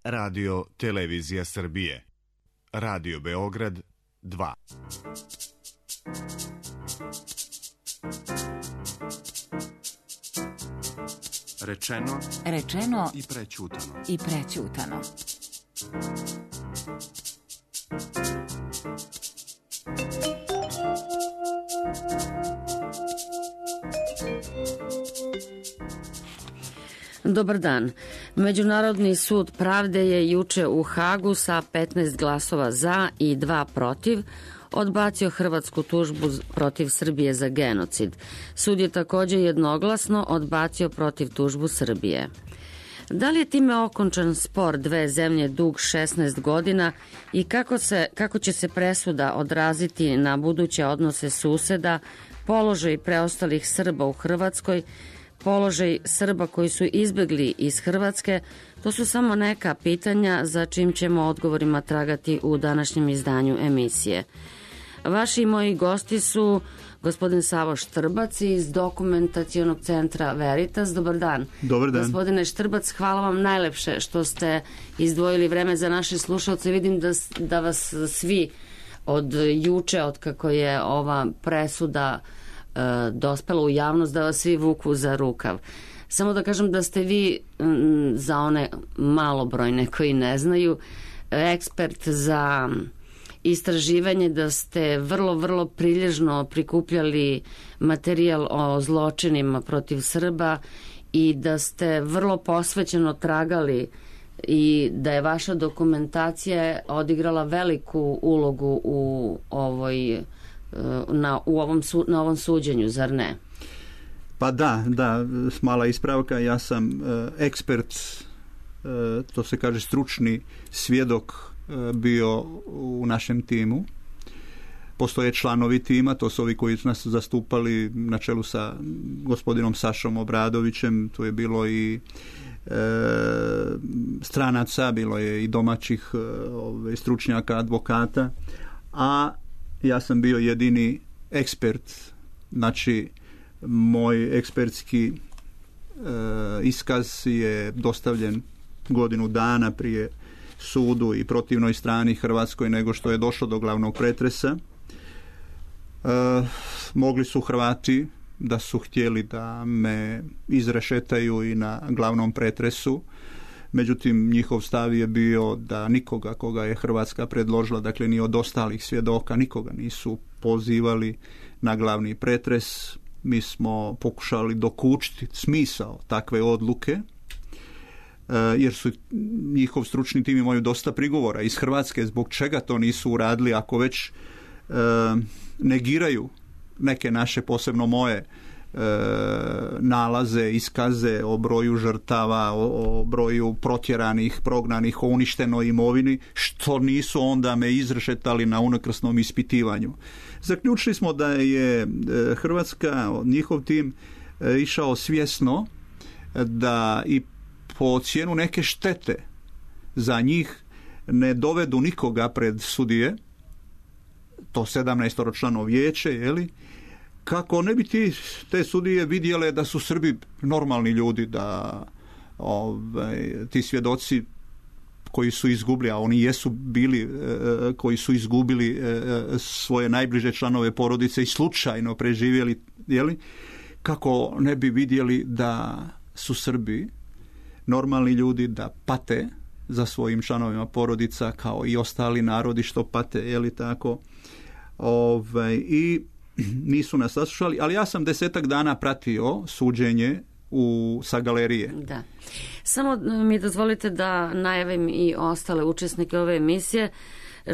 Radio Televizija Srbije. Radio Beograd 2. Rečeno i prećutano. Dobar dan. Međunarodni sud pravde je juče u Hagu sa 15 glasova za i 2 protiv odbacio hrvatsku tužbu protiv Srbije za genocid. Sud je također jednoglasno odbacio protiv tužbu Srbije. Da li je time okončan spor dve zemlje dug 16 godina i kako će se presuda odraziti na buduće odnose suseda, položaj preostalih Srba u Hrvatskoj, položaj Srba koji su izbjegli iz Hrvatske, to su samo neka pitanja za čim ćemo odgovorima tragati u današnjem izdanju emisije. Vaši i moji gosti su gospodin Savo Štrbac iz Dokumentacionog centra Veritas. Dobar dan. Dobar dan. Gospodine Štrbac, hvala vam najlepše što ste izdvojili vreme za naše slušalce. Vidim da vas svi od juče, od kako je ova presuda dospela u javnost, da vas svi vuku za rukav. Samo da kažem da ste vi, za one malobrojne koji ne znaju, ekspert za istraživanje, da ste vrlo prilježno prikupljali materijal o zločinima protiv Srba i da ste vrlo posvećeno tragali i da je vaša dokumentacija odigrala veliku ulogu u ovom suđenju, zar ne? Pa da, mala ispravka, ja sam ekspert, to se kaže stručni svjedok bio u našem timu. Postoje članovi tima, to su ovi koji su nas zastupali na čelu sa gospodinom Sašom Obradovićem, tu je bilo i stranaca, bilo je i domaćih stručnjaka, advokata, a ja sam bio jedini ekspert. Znači, moj ekspertski iskaz je dostavljen godinu dana prije sudu i protivnoj strani Hrvatskoj nego što je došlo do glavnog pretresa. Mogli su Hrvati, da su htjeli da me izrešetaju i na glavnom pretresu, međutim njihov stav je bio da nikoga koga je Hrvatska predložila, dakle ni od ostalih svjedoka, nikoga nisu pozivali na glavni pretres. Mi smo pokušali dokučiti smisao takve odluke, jer su njihov stručni tim imaju dosta prigovora iz Hrvatske zbog čega to nisu uradili ako već negiraju neke naše, posebno moje nalaze, iskaze o broju žrtava, o broju protjeranih, prognanih, o uništenoj imovini, što nisu onda me izrešetali na unakrsnom ispitivanju. Zaključili smo da je Hrvatska, njihov tim, išao svjesno da i po cijenu neke štete za njih ne dovedu nikoga pred sudije, to 17-člano vijeće, jeli, kako ne bi te sudije vidjele da su Srbi normalni ljudi, da ti svjedoci koji su izgubili, a oni jesu bili koji su izgubili svoje najbliže članove porodice i slučajno preživjeli, jeli, kako ne bi vidjeli da su Srbi normalni ljudi, da pate za svojim članovima porodica kao i ostali narodi što pate, jeli tako. I nisu nas saslušali, ali ja sam 10 dana pratio suđenje sa galerije. Da. Samo mi dozvolite da najavim i ostale učesnike ove emisije.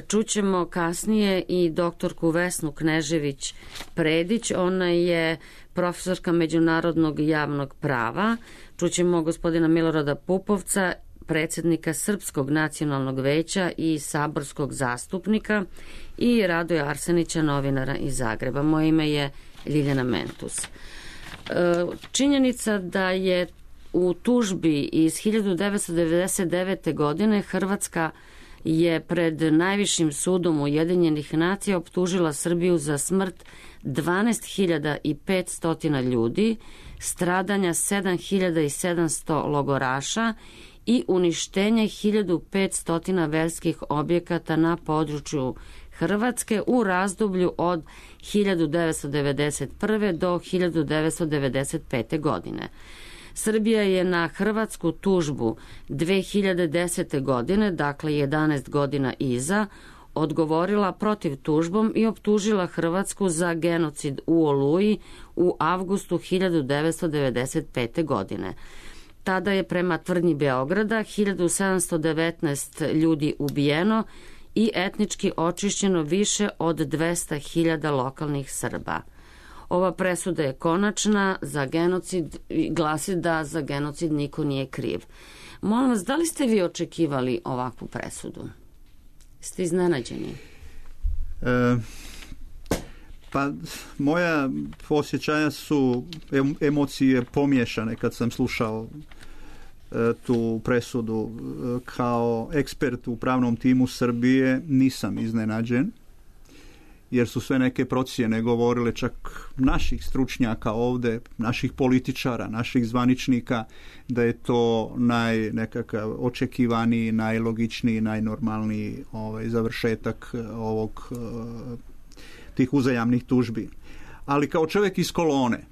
Čućemo kasnije i doktorku Vesnu Knežević-Predić, ona je profesorka međunarodnog javnog prava. Čućemo gospodina Milorada Pupovca, predsjednika Srpskog nacionalnog veća i saborskog zastupnika, i Radoja Arsenića, novinara iz Zagreba. Moje ime je Ljiljana Mentus. Činjenica da je u tužbi iz 1999. godine Hrvatska je pred najvišim sudom Ujedinjenih nacija optužila Srbiju za smrt 12.500 ljudi, stradanja 7.700 logoraša i uništenje 1500 verskih objekata na području Hrvatske u razdoblju od 1991. do 1995. godine. Srbija je na hrvatsku tužbu 2010. godine, dakle 11 godina iza, odgovorila protiv tužbom i optužila Hrvatsku za genocid u Oluji u avgustu 1995. godine. Tada je prema tvrdnji Beograda 1719 ljudi ubijeno i etnički očišćeno više od 200.000 lokalnih Srba. Ova presuda je konačna za genocid i glasi da za genocid niko nije kriv. Molim vas, da li ste vi očekivali ovakvu presudu? Ste iznenađeni? Pa moja osjećanja su emocije pomiješane kad sam slušao tu presudu. Kao ekspert u pravnom timu Srbije nisam iznenađen, jer su sve neke procjene govorile, čak naših stručnjaka ovdje, naših političara, naših zvaničnika, da je to nekakav očekivani, najlogičniji, najnormalniji završetak tih uzajamnih tužbi. Ali kao čovjek iz kolone,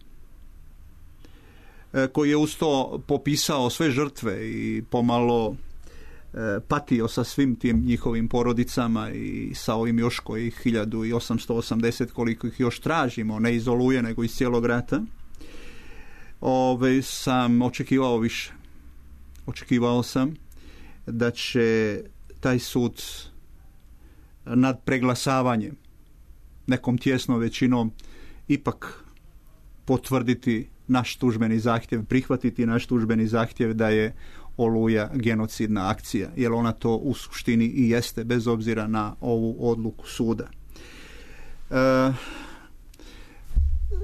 koji je uz to popisao sve žrtve i pomalo patio sa svim tim njihovim porodicama i sa ovim još kojih 1880 koliko ih još tražimo, ne iz Oluje nego iz cijelog rata, sam očekivao više. Očekivao sam da će taj sud nad preglasavanjem nekom tjesnom većinom ipak potvrditi naš tužbeni zahtjev, prihvatiti naš tužbeni zahtjev da je Oluja genocidna akcija, jer ona to u suštini i jeste, bez obzira na ovu odluku suda.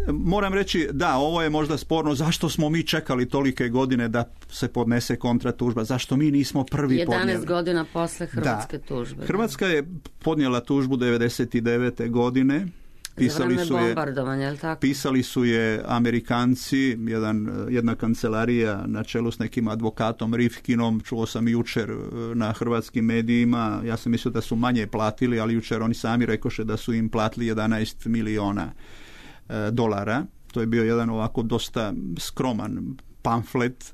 Moram reći, da, ovo je možda sporno, zašto smo mi čekali tolike godine da se podnese kontratužba, zašto mi nismo prvi 11 podnijeli? 11 godina posle hrvatske tužbe. Hrvatska je podnijela tužbu 1999. godine. Pisali su je Amerikanci, jedna kancelarija na čelu s nekim advokatom Rifkinom, čuo sam jučer na hrvatskim medijima, ja sam mislio da su manje platili, ali jučer oni sami rekoše da su im platili 11 miliona dolara. To je bio jedan ovako dosta skroman pamflet.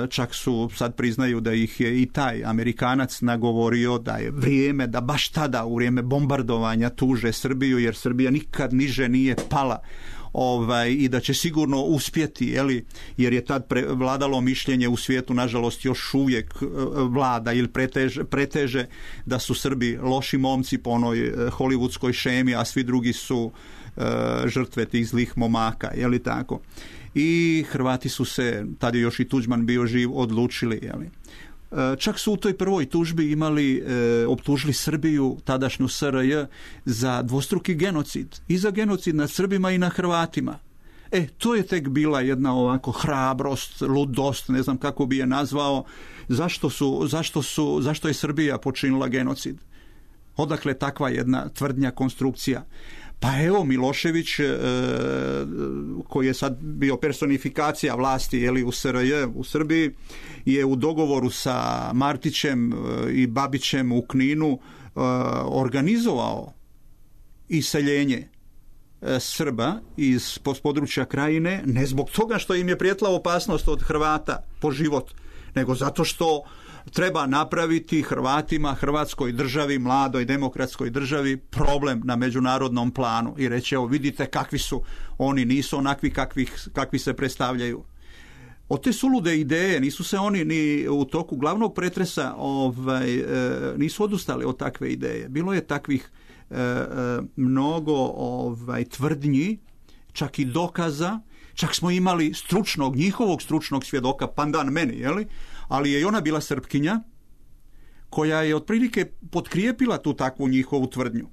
Čak su sad priznaju da ih je i taj Amerikanac nagovorio da je vrijeme da baš tada u vrijeme bombardovanja tuže Srbiju, jer Srbija nikad niže nije pala i da će sigurno uspjeti, jer je tad vladalo mišljenje u svijetu, nažalost još uvijek vlada ili preteže da su Srbi loši momci po onoj hollywoodskoj šemi, a svi drugi su žrtve tih zlih momaka, tako. I Hrvati su se, tad je još i Tuđman bio živ, odlučili. Čak su u toj prvoj tužbi optužili Srbiju, tadašnju SRJ, za dvostruki genocid. I za genocid nad Srbima i na Hrvatima. To je tek bila jedna ovako hrabrost, ludost, ne znam kako bi je nazvao. Zašto je Srbija počinila genocid? Odakle takva jedna tvrdnja, konstrukcija? Pa evo, Milošević, koji je sad bio personifikacija vlasti u SRJ, u Srbiji, je u dogovoru sa Martićem i Babićem u Kninu organizovao iseljenje Srba iz područja Krajine, ne zbog toga što im je prijetila opasnost od Hrvata po život, nego zato što treba napraviti Hrvatima, Hrvatskoj državi, mladoj demokratskoj državi, problem na međunarodnom planu i reći, evo vidite kakvi su, oni nisu onakvi kakvi se predstavljaju. Od te sulude ideje nisu se oni ni u toku glavnog pretresa nisu odustali od takve ideje. Bilo je takvih mnogo tvrdnji, čak i dokaza, čak smo imali njihovog stručnog svjedoka, pandan meni, ali je i ona bila Srpkinja, koja je otprilike potkrijepila tu takvu njihovu tvrdnju.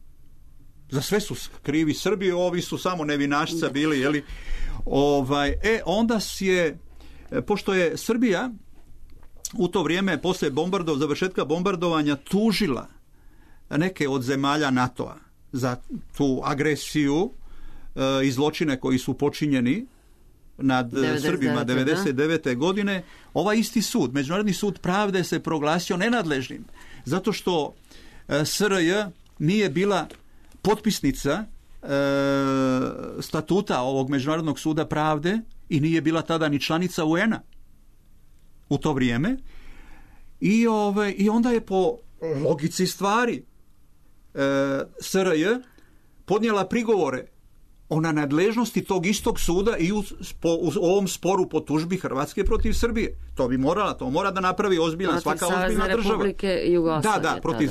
Za sve su krivi Srbi, ovi su samo nevinašca bili, onda je, pošto je Srbija u to vrijeme, poslije završetka bombardovanja, tužila neke od zemalja NATO-a za tu agresiju i zločine koji su počinjeni nad Srbima 99. godine, ovaj isti sud, Međunarodni sud pravde, se proglasio nenadležnim. Zato što SRJ nije bila potpisnica statuta ovog Međunarodnog suda pravde i nije bila tada ni članica UN-a u to vrijeme. I onda je po logici stvari SRJ podnijela prigovore o nadležnosti tog istog suda i u ovom sporu po tužbi Hrvatske protiv Srbije. To mora da napravi ozbiljna, svaka ozbiljna država. Republike Jugoslavije. Da, protiv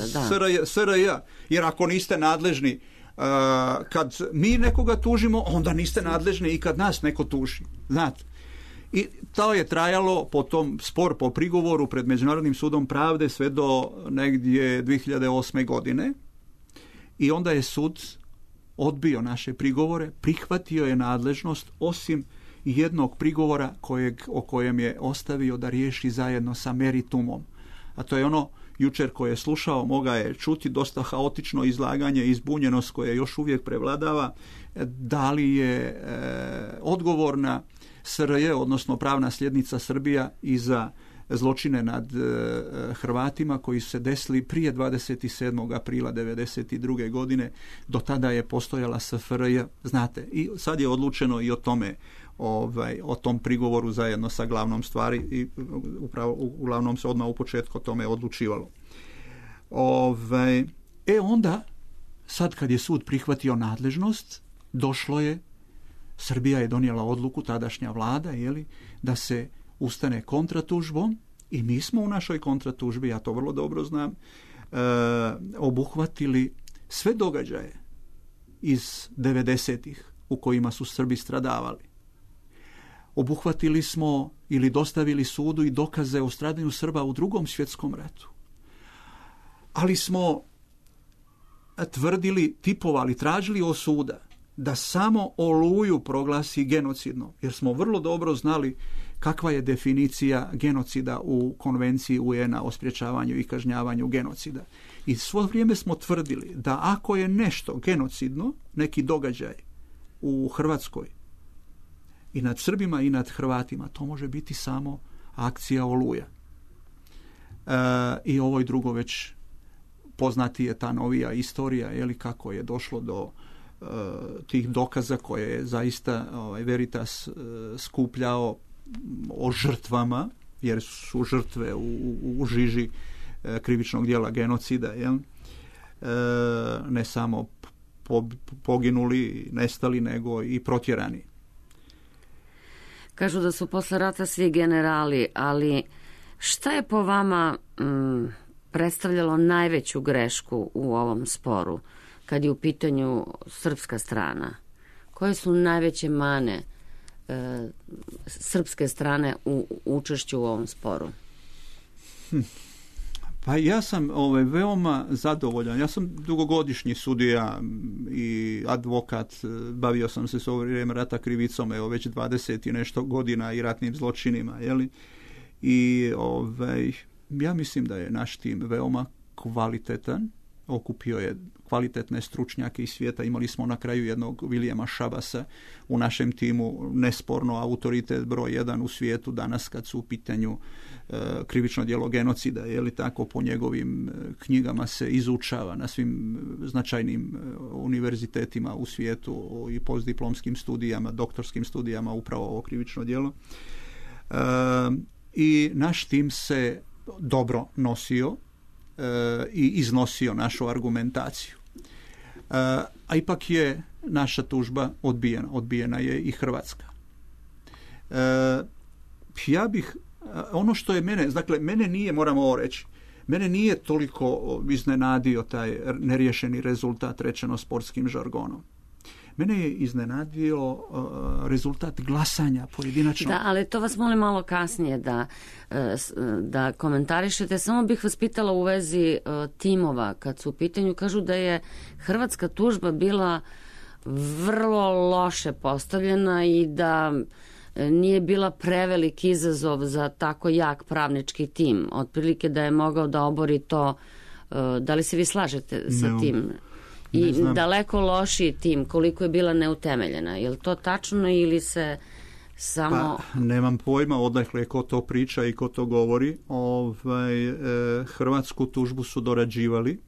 SRJ. Jer ako niste nadležni kad mi nekoga tužimo, onda niste nadležni i kad nas neko tuži. Znate. I to je trajalo potom spor po prigovoru pred Međunarodnim sudom pravde sve do negdje 2008. godine. I onda je sud odbio naše prigovore, prihvatio je nadležnost osim jednog prigovora o kojem je ostavio da riješi zajedno sa meritumom. A to je ono jučer koje je slušao, moga je čuti dosta haotično izlaganje i zbunjenost koje još uvijek prevladava. Da li je odgovorna SRJ, odnosno pravna sljednica Srbija, i za zločine nad Hrvatima koji su se desili prije 27. aprila 1992. godine. Do tada je postojala SFRJ, znate. I sad je odlučeno i o tome, o tom prigovoru zajedno sa glavnom stvari i upravo uglavnom se odmah u početku o tome odlučivalo. Onda, sad kad je sud prihvatio nadležnost, došlo je, Srbija je donijela odluku, tadašnja vlada, da se ustane kontratužbom i mi smo u našoj kontratužbi, ja to vrlo dobro znam, obuhvatili sve događaje iz 90-ih u kojima su Srbi stradavali. Obuhvatili smo ili dostavili sudu i dokaze o stradanju Srba u Drugom svjetskom ratu. Ali smo tvrdili, tipovali, tražili od suda da samo Oluju proglasi genocidno, jer smo vrlo dobro znali kakva je definicija genocida u konvenciji UN-a o sprječavanju i kažnjavanju genocida. I svo vrijeme smo tvrdili da ako je nešto genocidno, neki događaj u Hrvatskoj i nad Srbima i nad Hrvatima, to može biti samo akcija Oluja. I ovo i drugo već poznati je ta novija istorija, kako je došlo do tih dokaza koje je zaista Veritas skupljao o žrtvama, jer su žrtve u žiži krivičnog djela genocida, ne samo poginuli, nestali, nego i protjerani. Kažu da su posle rata svi generali, ali šta je po vama predstavljalo najveću grešku u ovom sporu kad je u pitanju srpska strana? Koje su najveće mane srpske strane u učešću u ovom sporu? Pa ja sam veoma zadovoljan. Ja sam dugogodišnji sudija i advokat, bavio sam se s ovo vrijeme rata krivicom, već 20 i nešto godina i ratnim zločinima, I ja mislim da je naš tim veoma kvalitetan, okupio je kvalitetne stručnjake iz svijeta. Imali smo na kraju jednog Williama Shabasa u našem timu, nesporno autoritet broj 1 u svijetu danas kad su u pitanju krivično djelo genocida, tako po njegovim knjigama se izučava na svim značajnim univerzitetima u svijetu i postdiplomskim studijama, doktorskim studijama upravo ovo krivično djelo. I naš tim se dobro nosio i iznosio našu argumentaciju. A ipak je naša tužba odbijena. Odbijena je i Hrvatska. Ja bih, ono što je mene nije, moram ovo reći, mene nije toliko iznenadio taj neriješeni rezultat, rečeno sportskim žargonom. Mene je iznenadio rezultat glasanja pojedinačno. Da, ali to vas molim malo kasnije da komentarišete. Samo bih vas pitala u vezi timova kad su u pitanju. Kažu da je hrvatska tužba bila vrlo loše postavljena i da nije bila prevelik izazov za tako jak pravnički tim. Otprilike da je mogao da obori to. Da li se vi slažete sa tim? I daleko lošiji tim, koliko je bila neutemeljena. Je li to tačno ili se Samo... Pa, nemam pojma odakle ko to priča i ko to govori. Hrvatsku tužbu su dorađivali.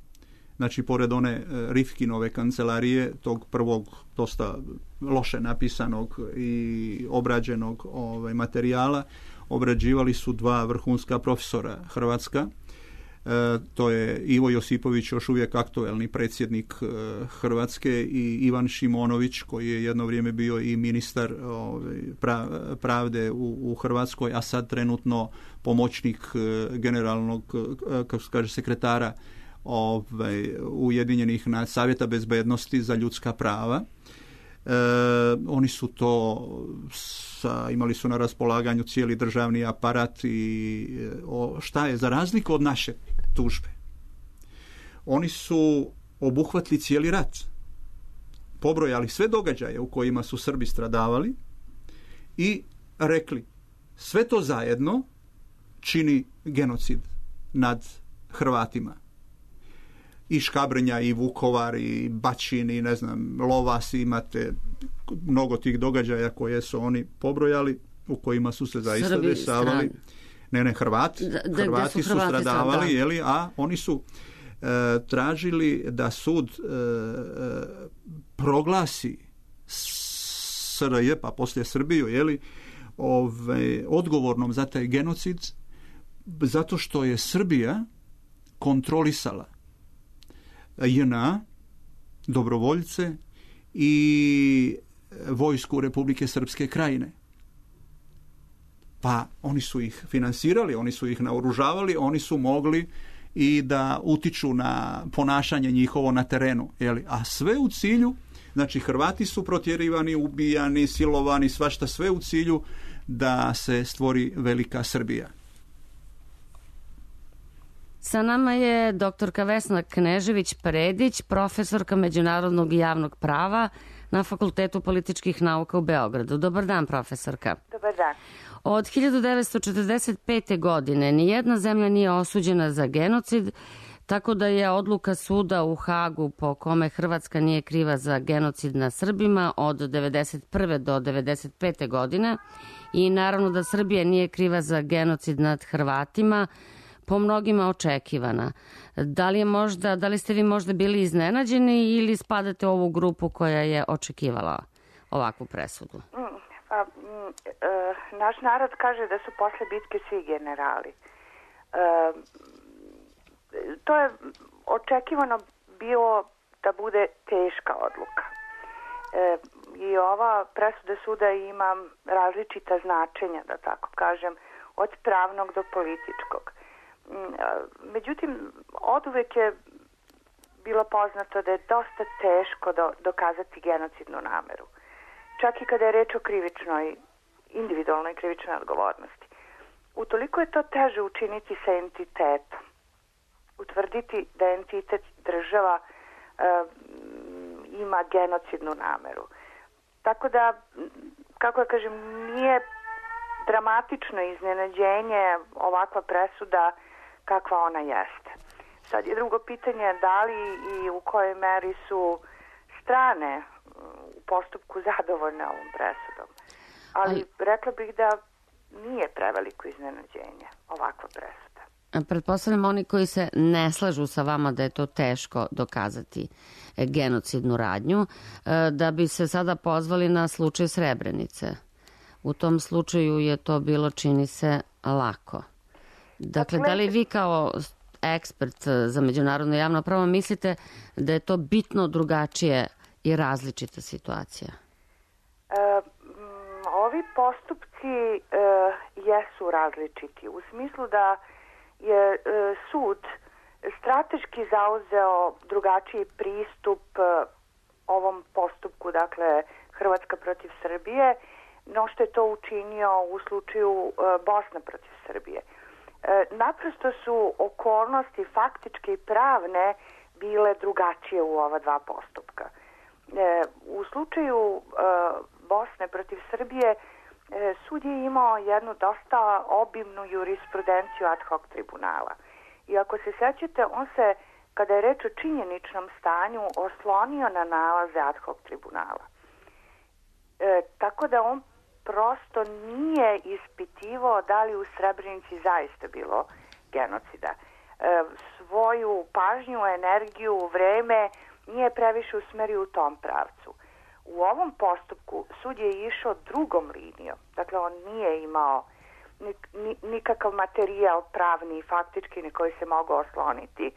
Znači, pored one Rifkinove kancelarije, tog prvog dosta loše napisanog i obrađenog materijala, obrađivali su dva vrhunska profesora hrvatska. To je Ivo Josipović, još uvijek aktuelni predsjednik Hrvatske, i Ivan Šimonović, koji je jedno vrijeme bio i ministar pravde u Hrvatskoj, a sad trenutno pomoćnik generalnog, kako se kaže, sekretara Ujedinjenih Savjeta bezbednosti za ljudska prava. Oni su to imali su na raspolaganju cijeli državni aparat i šta je za razliku od naše tužbe. Oni su obuhvatili cijeli rat. Pobrojali sve događaje u kojima su Srbi stradavali i rekli sve to zajedno čini genocid nad Hrvatima. I Škabrnja, i Vukovar, i Bačin, i ne znam, Lovas, imate mnogo tih događaja koje su oni pobrojali, u kojima su se zaista dešavali. Hrvati su stradavali, jeli, a oni su tražili da sud proglasi SRJ, pa poslije Srbiju, jeli, odgovornom za taj genocid, zato što je Srbija kontrolisala JNA, dobrovoljce i vojsku Republike Srpske Krajine. Pa oni su ih finansirali, oni su ih naoružavali, oni su mogli i da utiču na ponašanje njihovo na terenu. Jeli? A sve u cilju, znači Hrvati su protjerivani, ubijani, silovani, svašta, sve u cilju da se stvori velika Srbija. Sa nama je doktorka Vesna Knežević-Predić, profesorka međunarodnog i javnog prava na Fakultetu političkih nauka u Beogradu. Dobar dan, profesorka. Dobar dan. Od 1945. godine nijedna zemlja nije osuđena za genocid, tako da je odluka suda u Hagu po kome Hrvatska nije kriva za genocid na Srbima od 1991. do 1995. godine i naravno da Srbija nije kriva za genocid nad Hrvatima, po mnogima očekivana. Da li ste vi možda bili iznenađeni ili spadate u ovu grupu koja je očekivala ovakvu presudu? Naš narod kaže da su posle bitke svi generali. To je očekivano bilo da bude teška odluka. I ova presuda suda ima različita značenja, da tako kažem, od pravnog do političkog. Međutim, oduvek je bilo poznato da je dosta teško dokazati genocidnu nameru. Čak i kada je reč o individualnoj krivičnoj odgovornosti. Utoliko je to teže učiniti sa entitetom. Utvrditi da entitet država ima genocidnu nameru. Tako da, kako ja kažem, nije dramatično iznenađenje ovakva presuda kakva ona jeste. Sad je drugo pitanje da li i u kojoj meri su strane u postupku zadovoljne ovom presudom. Ali rekla bih da nije preveliko iznenađenje ovakva presuda. Pretpostavljam oni koji se ne slažu sa vama da je to teško dokazati genocidnu radnju, da bi se sada pozvali na slučaj Srebrenice. U tom slučaju je to bilo, čini se, lako. Dakle, da li vi kao ekspert za međunarodno javno pravo mislite da je to bitno drugačije i različita situacija? Ovi postupci jesu različiti. U smislu da je sud strateški zauzeo drugačiji pristup ovom postupku, dakle Hrvatska protiv Srbije, no što je to učinio u slučaju Bosna protiv Srbije. Naprosto su okolnosti faktičke i pravne bile drugačije u ova dva postupka. U slučaju Bosne protiv Srbije sud je imao jednu dosta obimnu jurisprudenciju ad hoc tribunala. I ako se sećate, on se, kada je reč o činjeničnom stanju, oslonio na nalaze ad hoc tribunala. Tako da on prosto nije ispitivao da li u Srebrenici zaista bilo genocida. Svoju pažnju, energiju, vreme nije previše usmerio u tom pravcu. U ovom postupku sud je išao drugom linijom. Dakle, on nije imao nikakav materijal pravni i faktički na koji se mogao osloniti.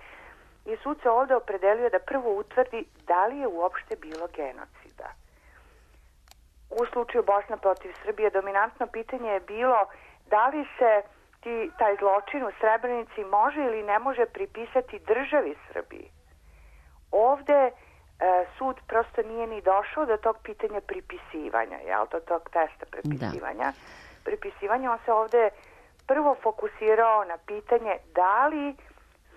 I sud se ovde opredelio da prvo utvrdi da li je uopšte bilo genocida. U slučaju Bosna protiv Srbije dominantno pitanje je bilo da li se taj zločin u Srebrenici može ili ne može pripisati državi Srbiji. Ovde sud prosto nije ni došao do tog pitanja pripisivanja, do tog testa pripisivanja. Pripisivanje, on se ovde prvo fokusirao na pitanje da li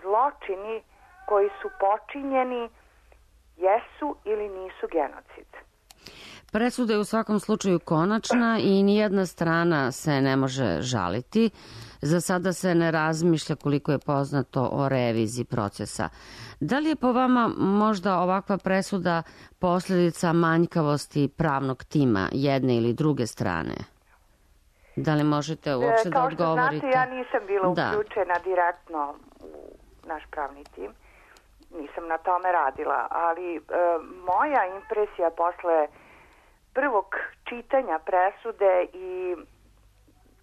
zločini koji su počinjeni jesu ili nisu genocid. Presuda je u svakom slučaju konačna i nijedna strana se ne može žaliti. Za sada se ne razmišlja, koliko je poznato, o reviziji procesa. Da li je po vama možda ovakva presuda posljedica manjkavosti pravnog tima jedne ili druge strane? Da li možete uopšte da odgovorite? Kao što znate, ja nisam bila uključena direktno u naš pravni tim. Nisam na tome radila, ali moja impresija posle prvog čitanja presude i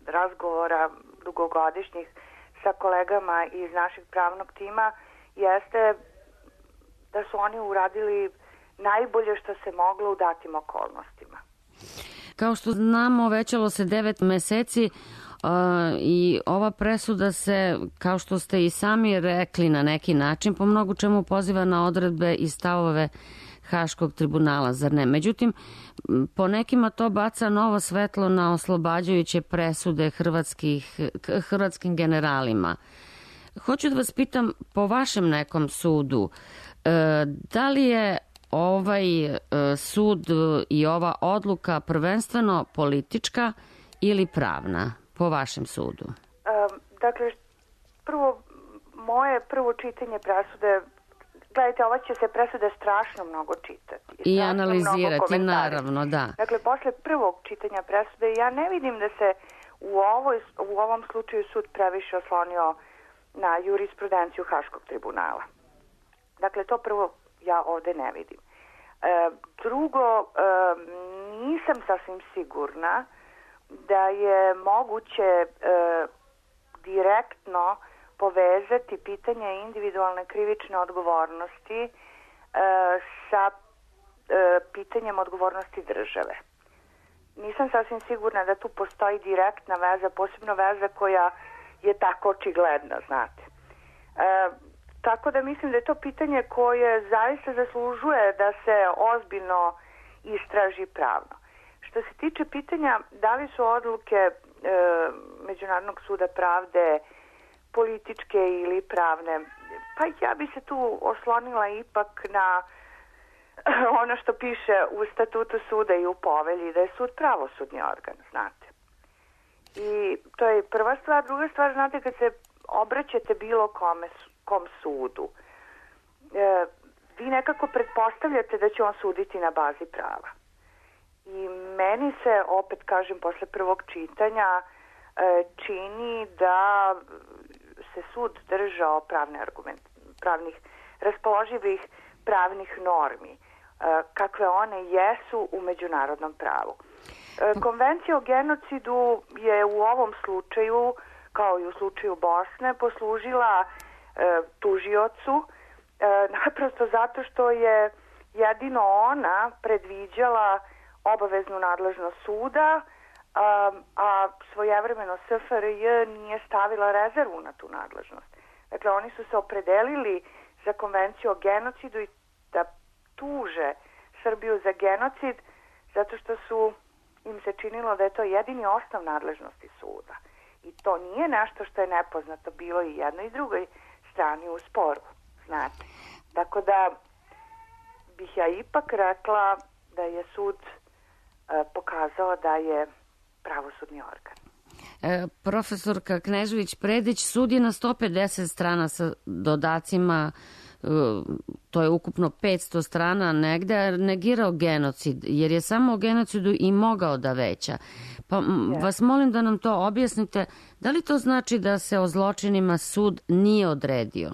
razgovora dugogodišnjih sa kolegama iz našeg pravnog tima jeste da su oni uradili najbolje što se moglo u datim okolnostima. Kao što znamo, većalo se 9 meseci i ova presuda se, kao što ste i sami rekli na neki način, po mnogo čemu poziva na odredbe i stavove Haškog tribunala, zar ne? Međutim, po nekima to baca novo svetlo na oslobađajuće presude hrvatskim generalima. Hoću da vas pitam, po vašem nekom sudu, da li je ovaj sud i ova odluka prvenstveno politička ili pravna, po vašem sudu? Dakle, moje prvo čitanje presude, gledajte, ova će se presuda strašno mnogo čitati. I analizirati, naravno, da. Dakle, posle prvog čitanja presude ja ne vidim da se u ovom slučaju sud previše oslonio na jurisprudenciju Haškog tribunala. Dakle, to prvo ja ovde ne vidim. Drugo, nisam sasvim sigurna da je moguće direktno povezati pitanje individualne krivične odgovornosti sa pitanjem odgovornosti države. Nisam sasvim sigurna da tu postoji direktna veza, posebno veza koja je tako očigledna, znate. Tako da mislim da je to pitanje koje zaista zaslužuje da se ozbiljno istraži pravno. Što se tiče pitanja da li su odluke Međunarodnog suda pravde političke ili pravne, pa ja bi se tu oslonila ipak na ono što piše u statutu suda i u povelji, da je sud pravosudni organ, znate. I to je prva stvar. Druga stvar, znate, kad se obraćate bilo kom sudu, vi nekako pretpostavljate da će on suditi na bazi prava. I meni se, opet kažem, posle prvog čitanja čini da se sud držao pravnih raspoloživih pravnih normi, kakve one jesu u međunarodnom pravu. Konvencija o genocidu je u ovom slučaju, kao i u slučaju Bosne, poslužila tužiocu, naprosto zato što je jedino ona predviđala obaveznu nadležnost suda, a svojevremeno SFRJ nije stavila rezervu na tu nadležnost. Dakle, oni su se opredelili za konvenciju o genocidu i da tuže Srbiju za genocid zato što im se činilo da je to jedini osnov nadležnosti suda. I to nije nešto što je nepoznato bilo i jednoj i drugoj strani u sporu, znate. Tako da bih ja ipak rekla da je sud pokazao da je pravosudni organ. Profesorka Knežević-Predić, sud je na 150 strana sa dodacima to je ukupno 500 strana negde, negirao genocid, jer je samo o genocidu i mogao da veća. Pa vas molim da nam to objasnite, da li to znači da se o zločinima sud nije odredio?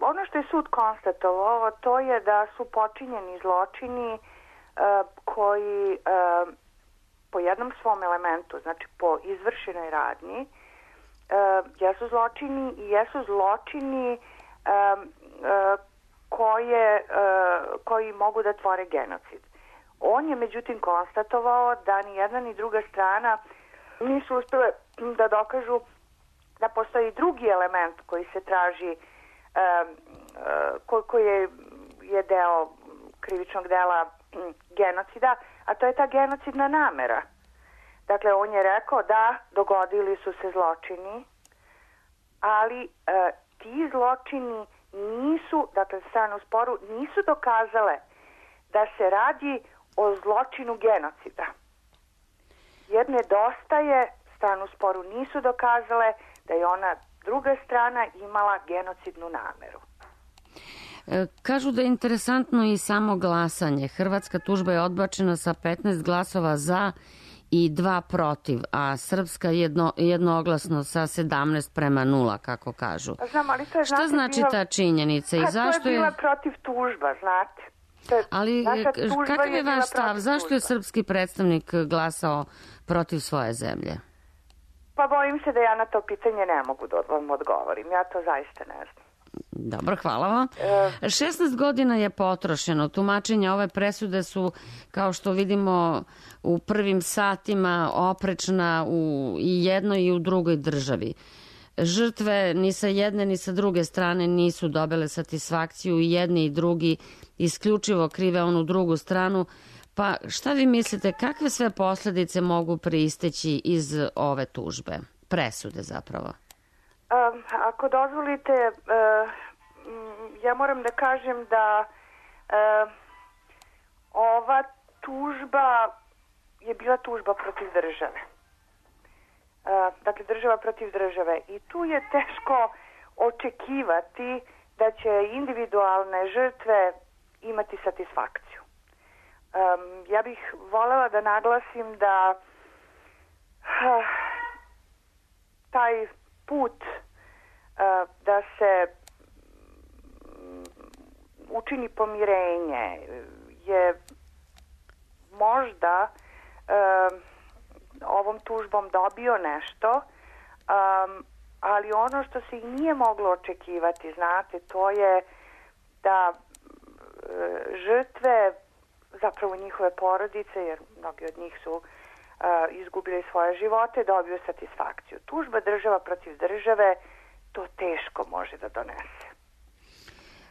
Ono što je sud konstatovao, to je da su počinjeni zločini koji po jednom svom elementu, znači po izvršenoj radnji, jesu zločini i jesu zločini koji mogu da tvore genocid. On je međutim konstatovao da ni jedna ni druga strana nisu uspjele da dokažu da postoji drugi element koji se traži, koji je deo krivičnog dela genocida, a to je ta genocidna namera. Dakle, on je rekao da dogodili su se zločini, ali ti zločini nisu, dakle strane u sporu, nisu dokazale da se radi o zločinu genocida. Jer nedostaje, strane u sporu nisu dokazale da je ona druga strana imala genocidnu nameru. Kažu da je interesantno i samo glasanje. Hrvatska tužba je odbačena sa 15 glasova za i 2 protiv, a srpska jednoglasno sa 17:0, kako kažu. Znam, ali to je, šta znači ta činjenica? I zašto to je bila protiv tužba, znate. Ali kakav je vaš stav? Zašto je srpski predstavnik glasao protiv svoje zemlje? Pa bojim se da ja na to pitanje ne mogu da vam odgovorim. Ja to zaista ne znam. Dobro, hvala vam. 16 godina je potrošeno. Tumačenja ove presude su, kao što vidimo, u prvim satima oprečna u i jednoj i u drugoj državi. Žrtve ni sa jedne ni sa druge strane nisu dobile satisfakciju, i jedni i drugi isključivo krive onu drugu stranu. Pa šta vi mislite, kakve sve posljedice mogu pristeći iz ove tužbe, presude zapravo? Ako dozvolite, ja moram da kažem da ova tužba je bila tužba protiv države. Dakle, država protiv države. I tu je teško očekivati da će individualne žrtve imati satisfakciju. Ja bih voljela da naglasim da taj put da se učini pomirenje je možda ovom tužbom dobio nešto, ali ono što se i nije moglo očekivati, znate, to je da žrtve, zapravo njihove porodice, jer mnogi od njih su izgubili svoje živote, dobiju satisfakciju. Tužba država protiv države to teško može da donese.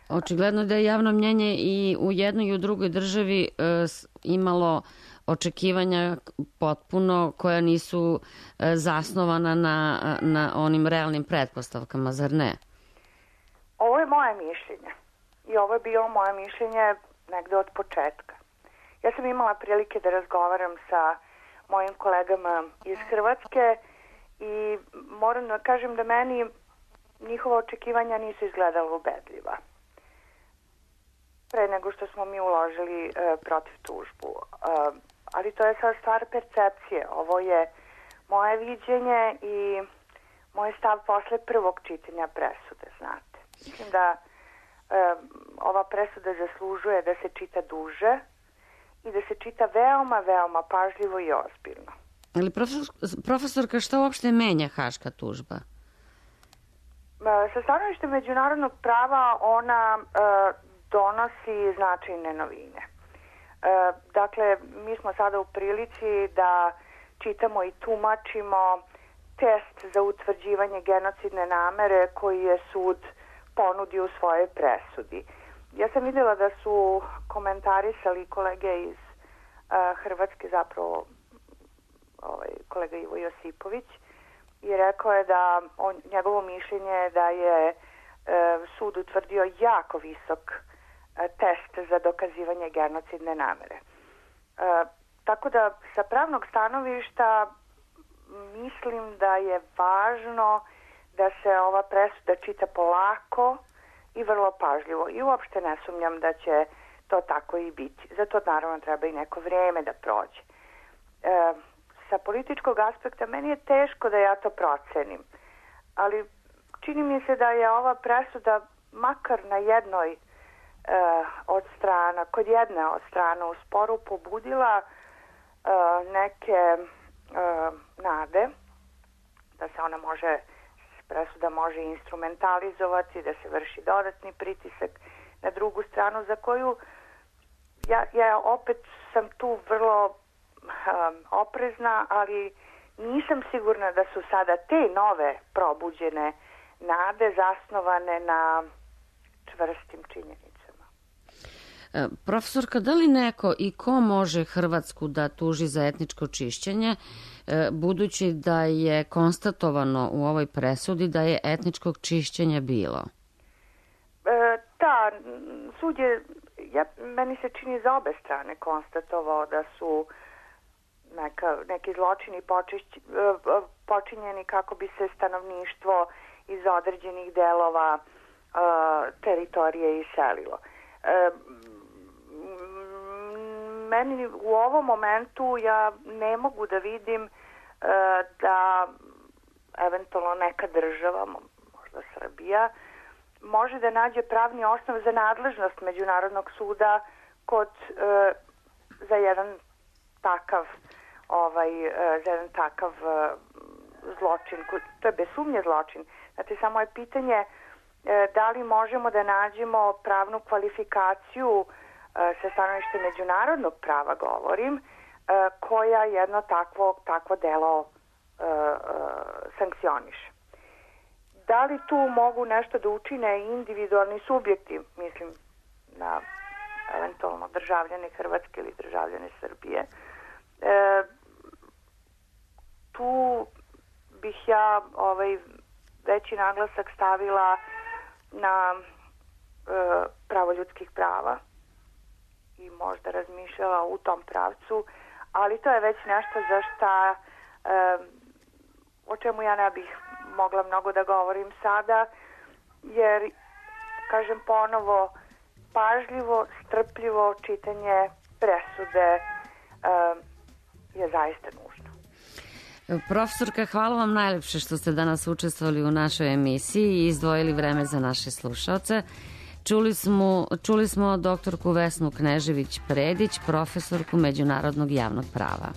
Očigledno da je javno mnjenje i u jednoj i u drugoj državi imalo očekivanja potpuno koja nisu zasnovana na onim realnim pretpostavkama, zar ne? Ovo je moje mišljenje i ovo je bilo moje mišljenje negde od početka. Ja sam imala prilike da razgovaram sa mojim kolegama iz Hrvatske i moram da kažem da meni njihova očekivanja nisu izgledala ubedljiva. Pre nego što smo mi uložili protiv tužbu. Ali to je sad stvar percepcije. Ovo je moje viđenje i moj stav posle prvog čitanja presude, znate. Mislim da ova presuda zaslužuje da se čita duže i da se čita veoma, veoma pažljivo i ozbiljno. Ali profesorka, šta uopšte menja haška tužba? Sa stanovišta međunarodnog prava ona donosi značajne novine. Dakle, mi smo sada u prilici da čitamo i tumačimo test za utvrđivanje genocidne namere koji je sud ponudio u svojoj presudi. Ja sam vidjela da su komentarisali kolege iz Hrvatske, zapravo kolega Ivo Josipović, i rekao je da njegovo mišljenje je da je sud utvrdio jako visok test za dokazivanje genocidne namere. Tako da sa pravnog stanovišta mislim da je važno da se ova presuda čita polako, i vrlo pažljivo. I uopšte ne sumnjam da će to tako i biti. Zato naravno treba i neko vrijeme da prođe. Sa političkog aspekta meni je teško da ja to procenim, ali čini mi se da je ova presuda makar na jednoj od strana, kod jedne od strana u sporu pobudila neke nade da se ona može, presuda može instrumentalizovati, da se vrši dodatni pritisak na drugu stranu, za koju ja opet sam tu vrlo oprezna, ali nisam sigurna da su sada te nove probuđene nade zasnovane na čvrstim činjenicama. Profesorka, da li neko i ko može Hrvatsku da tuži za etničko čišćenje, budući da je konstatovano u ovoj presudi da je etničkog čišćenja bilo? Da, sud je, meni se čini za obe strane konstatovao da su neki zločini počinjeni kako bi se stanovništvo iz određenih delova teritorije iselilo. Meni u ovom momentu ja ne mogu da vidim da eventualno neka država, možda Srbija, može da nađe pravni osnov za nadležnost Međunarodnog suda za jedan takav zločin. To je bez sumnje zločin. Znači, samo je pitanje da li možemo da nađemo pravnu kvalifikaciju sa stanovišta međunarodnog prava, govorim, koja jedno takvo delo sankcioniše. Da li tu mogu nešto da učine individualni subjekti, mislim na eventualno državljane Hrvatske ili državljane Srbije, tu bih ja veći naglasak stavila na pravo ljudskih prava i možda razmišljala u tom pravcu, ali to je već nešto za šta o čemu ja ne bih mogla mnogo da govorim sada, jer, kažem ponovo, pažljivo, strpljivo čitanje presude je zaista nužno. Profesorka, hvala vam najlepše što ste danas učestvovali u našoj emisiji i izdvojili vreme za naše slušaoce. Čuli smo doktorku Vesnu Knežević-Predić, profesorku međunarodnog javnog prava.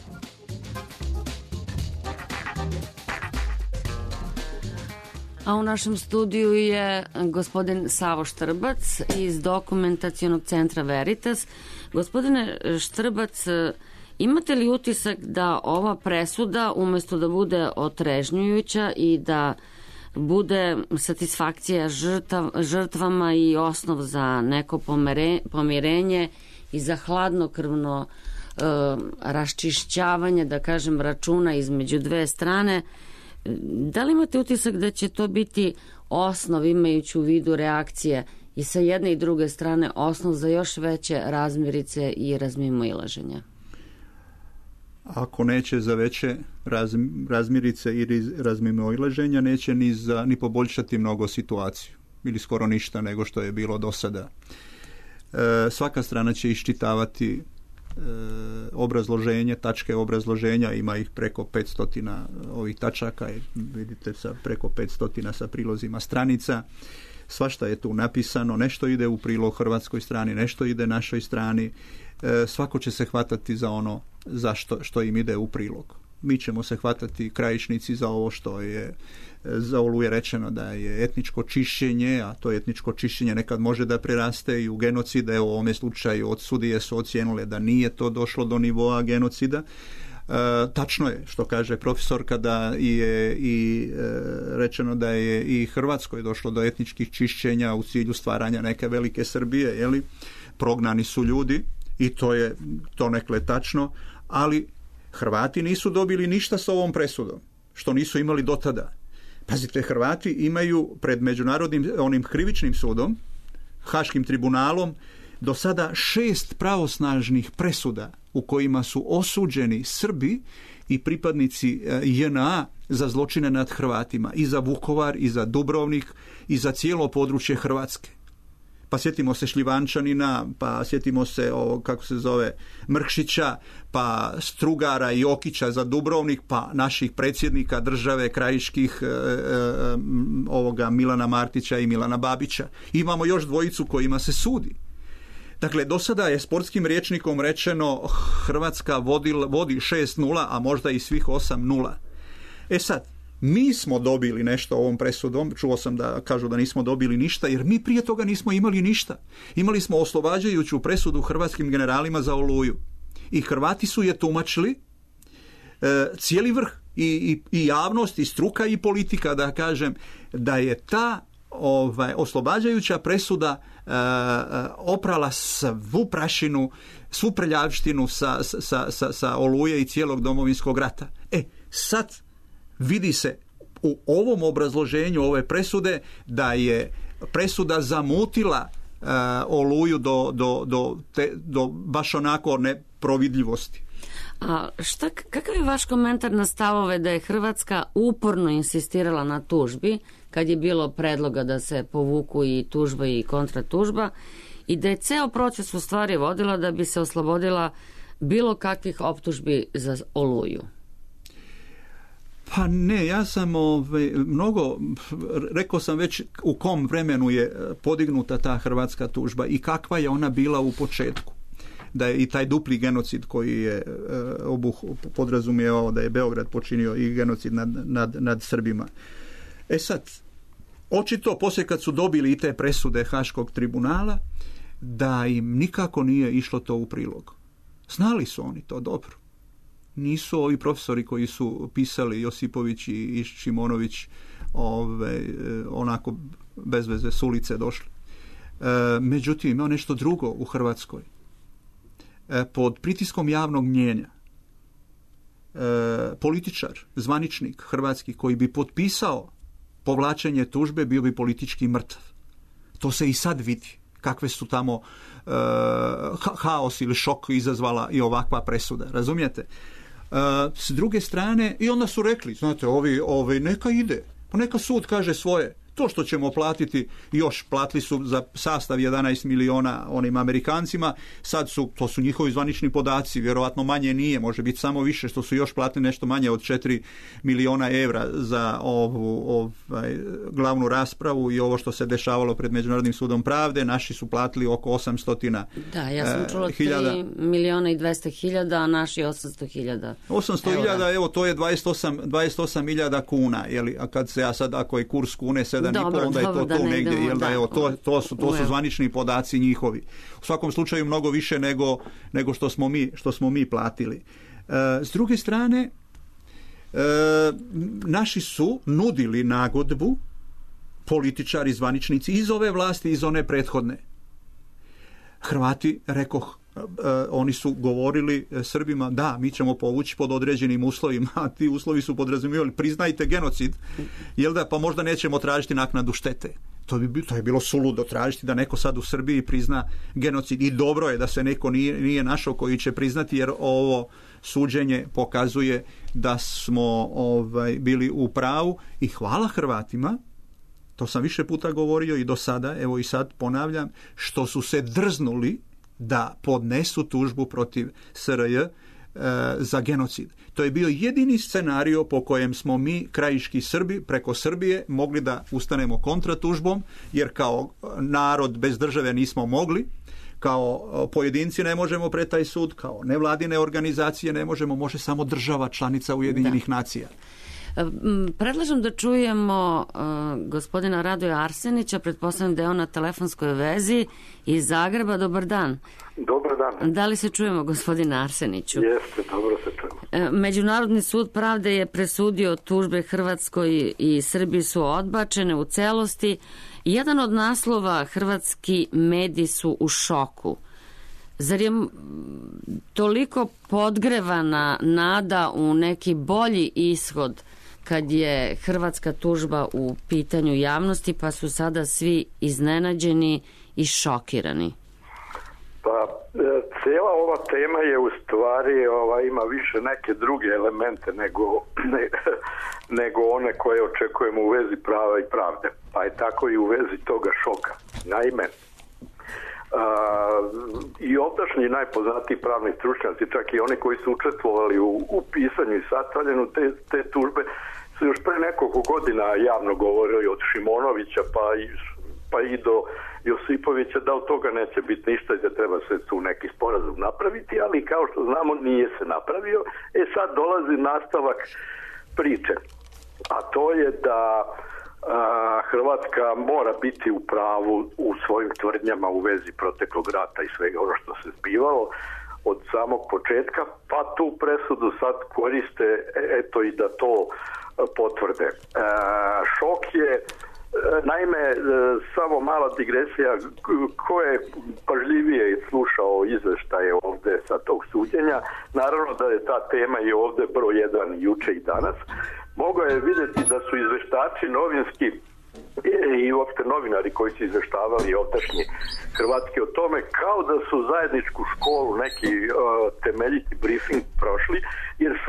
A u našem studiju je gospodin Savo Štrbac iz Dokumentacionog centra Veritas. Gospodine Štrbac, imate li utisak da ova presuda, umjesto da bude otrežnjujuća i da bude satisfakcija žrtvama i osnov za neko pomirenje i za hladnokrvno raščišćavanje, da kažem, računa između dve strane, da li imate utisak da će to biti osnov, imajući u vidu reakcije i sa jedne i druge strane, osnov za još veće razmirice i razmimoilaženja? Ako neće za veće razmirice i razmimoilaženja, neće ni poboljšati mnogo situaciju ili skoro ništa nego što je bilo do sada. Svaka strana će iščitavati obrazloženje, tačke obrazloženja, ima ih preko 500 ovih tačaka, vidite, preko 500 sa prilozima stranica. Svašta je tu napisano, nešto ide u prilog hrvatskoj strani, nešto ide našoj strani. Svako će se hvatati za ono što im ide u prilog. Mi ćemo se hvatati krajišnici za ovo što je za Oluje rečeno da je etničko čišćenje, a to etničko čišćenje nekad može da preraste i u genocide. U ovome slučaju od sudije su ocijenile da nije to došlo do nivoa genocida. Tačno je što kaže profesorka da je i rečeno da je i Hrvatskoj došlo do etničkih čišćenja u cilju stvaranja neke velike Srbije, jeli? Prognani su ljudi i to je donekle tačno, ali Hrvati nisu dobili ništa s ovom presudom, što nisu imali do tada. Pazite, Hrvati imaju pred međunarodnim onim krivičnim sudom, Haškim tribunalom, do sada 6 pravosnažnih presuda u kojima su osuđeni Srbi i pripadnici JNA za zločine nad Hrvatima, i za Vukovar, i za Dubrovnik, i za cijelo područje Hrvatske. pa sjetimo se Šljivančanina, pa sjetimo se kako se zove Mrkšića, pa Strugara i Jokića za Dubrovnik, pa naših predsjednika države krajiških ovoga Milana Martića i Milana Babića. Imamo još dvojicu kojima se sudi. Dakle, do sada je sportskim rječnikom rečeno Hrvatska vodi 6-0, a možda i svih 8-0. Sad, mi smo dobili nešto ovom presudom, čuo sam da kažu da nismo dobili ništa, jer mi prije toga nismo imali ništa. Imali smo oslobađajuću presudu hrvatskim generalima za Oluju. I Hrvati su je tumačili, cijeli vrh, i javnost, i struka, i politika, da kažem, da je ta oslobađajuća presuda oprala svu prašinu, svu prljavštinu sa Oluje i cijelog Domovinskog rata. Sad vidi se u ovom obrazloženju ove presude da je presuda zamutila Oluju do baš onako neprovidljivosti. A kakav je vaš komentar na stavove da je Hrvatska uporno insistirala na tužbi kad je bilo predloga da se povuku i tužba i kontratužba i da je ceo proces u stvari vodila da bi se oslobodila bilo kakvih optužbi za Oluju? Pa ne, ja sam mnogo, rekao sam već u kom vremenu je podignuta ta hrvatska tužba i kakva je ona bila u početku. Da je i taj dupli genocid koji je podrazumijevao da je Beograd počinio i genocid nad Srbima. Sad, očito poslije kad su dobili i te presude Haškog tribunala, da im nikako nije išlo to u prilog. Znali su oni to dobro. Nisu ovi profesori koji su pisali, Josipović i Šimonović, onako bez veze s ulice došli. Međutim, ima nešto drugo u Hrvatskoj. Pod pritiskom javnog mnijenja političar, zvaničnik hrvatski koji bi potpisao povlačenje tužbe bio bi politički mrtav. To se i sad vidi. Kakve su tamo haos ili šok izazvala i ovakva presuda. Razumijete? S druge strane, i onda su rekli, znate, ovi neka ide, pa neka sud kaže svoje. To što ćemo platiti, još platili su za sastav 11 miliona onim Amerikancima, sad to su njihovi zvanični podaci, vjerovatno manje nije, može biti samo više, što su još platili nešto manje od 4 miliona evra za ovu glavnu raspravu i ovo što se dešavalo pred Međunarodnim sudom pravde. Naši su platili oko 800 Da, ja sam čula 3 miliona i 200 hiljada, a naši 800 hiljada. 800 hiljada, evo, to je 28 milijada kuna, jeli, a kad se ja sad, ako je kurs kune 7,5, onda je to tu negdje, jel da, evo, to su zvanični podaci njihovi. U svakom slučaju mnogo više nego što smo mi platili. S druge strane, naši su nudili nagodbu, političari, zvaničnici iz ove vlasti, iz one prethodne. Hrvati, rekoh, oni su govorili Srbima, da, mi ćemo povući pod određenim uslovima, a ti uslovi su podrazumijevali, priznajte genocid, jel da, pa možda nećemo tražiti naknadu štete. To je bilo suludo tražiti da neko sad u Srbiji prizna genocid, i dobro je da se neko nije našao koji će priznati, jer ovo suđenje pokazuje da smo bili u pravu, i hvala Hrvatima, to sam više puta govorio i do sada, evo i sad ponavljam, što su se drznuli da podnesu tužbu protiv SRJ za genocid. To je bio jedini scenario po kojem smo mi, krajiški Srbi, preko Srbije mogli da ustanemo kontratužbom, jer kao narod bez države nismo mogli, kao pojedinci ne možemo pred taj sud, kao nevladine organizacije ne možemo, može samo država članica Ujedinjenih nacija. Predlažem da čujemo gospodina Radoja Arsenića, pretpostavljam da je on na telefonskoj vezi iz Zagreba. Dobar dan. Dobar dan. Da li se čujemo, gospodine Arseniću? Jeste, dobro se čujemo. Međunarodni sud pravde je presudio tužbe Hrvatskoj i Srbiji su odbačene u celosti. Jedan od naslova: hrvatski mediji su u šoku. Zar je toliko podgrevana nada u neki bolji ishod kad je hrvatska tužba u pitanju javnosti, pa su sada svi iznenađeni i šokirani? Pa, cijela ova tema je u stvari, ima više neke druge elemente nego one koje očekujemo u vezi prava i pravde. Pa je tako i u vezi toga šoka. Naime, I ovdašnji najpoznatiji pravni stručnjaci, čak i oni koji su učestvovali u pisanju i sastavljanju te tužbe, su još pre nekoliko godina javno govorili od Šimonovića pa i do Josipovića da od toga neće biti ništa i da treba se tu neki sporazum napraviti, ali kao što znamo nije se napravio. Sad dolazi nastavak priče, a to je da Hrvatska mora biti u pravu u svojim tvrdnjama u vezi proteklog rata i svega ono što se zbivalo od samog početka, pa tu presudu sad koriste eto i da to potvrde. Šok je, naime, samo mala digresija, ko je pažljivije slušao izveštaje ovde sa tog suđenja, naravno da je ta tema i ovde broj 1 juče i danas, mogao je vidjeti da su izveštači novinski i uopšte novinari koji su izveštavali ovdašnji hrvatski o tome, kao da su zajedničku školu, neki temeljiti briefing prošli, jer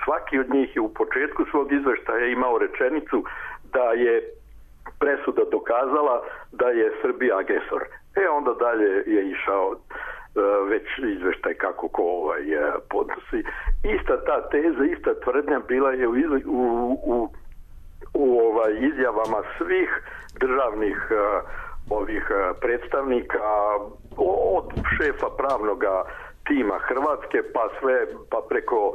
svaki od njih je u početku svog izveštaja imao rečenicu da je presuda dokazala da je Srbija agresor. Onda dalje je išao već izveštaj kako ko podnosi. Ista ta teza, ista tvrdnja bila je u izjavama svih državnih predstavnika od šefa pravnoga tima Hrvatske pa preko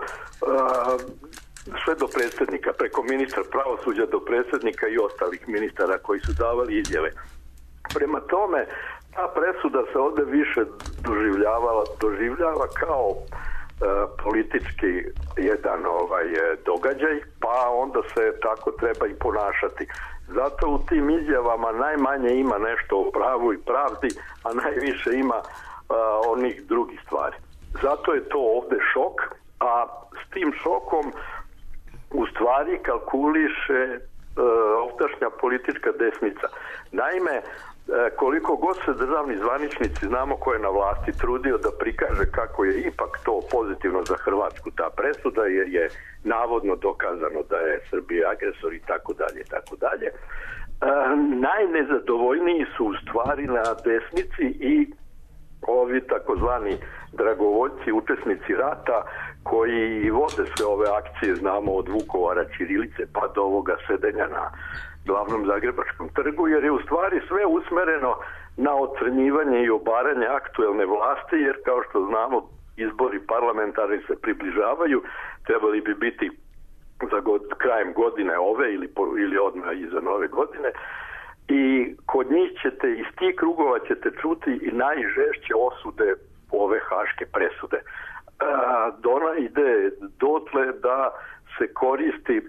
sve do predsjednika, preko ministra pravosuđa do predsjednika i ostalih ministara koji su davali izjave. Prema tome, ta presuda se ovdje više doživljava kao politički jedan događaj, pa onda se tako treba i ponašati. Zato u tim izjavama najmanje ima nešto o pravu i pravdi, a najviše ima onih drugih stvari. Zato je to ovdje šok, a s tim šokom u stvari kalkuliše ovdašnja politička desnica. Naime, koliko god se državni zvaničnici, znamo ko je na vlasti, trudio da prikaže kako je ipak to pozitivno za Hrvatsku ta presuda, jer je navodno dokazano da je Srbija agresor i tako dalje, tako dalje. Najnezadovoljniji su u stvari na desnici i ovi takozvani dragovoljci, učesnici rata koji vode sve ove akcije, znamo od Vukovara, ćirilice pa do ovoga sedenja na glavnom Zagrebačkom trgu, jer je u stvari sve usmereno na ocrnjivanje i obaranje aktuelne vlasti, jer kao što znamo izbori parlamentarni se približavaju, trebali bi biti za krajem godine ove ili odmah iza nove godine, i kod njih ćete, iz tih krugova ćete čuti i najžešće osude ove haške presude. Ona ide dotle da se koristi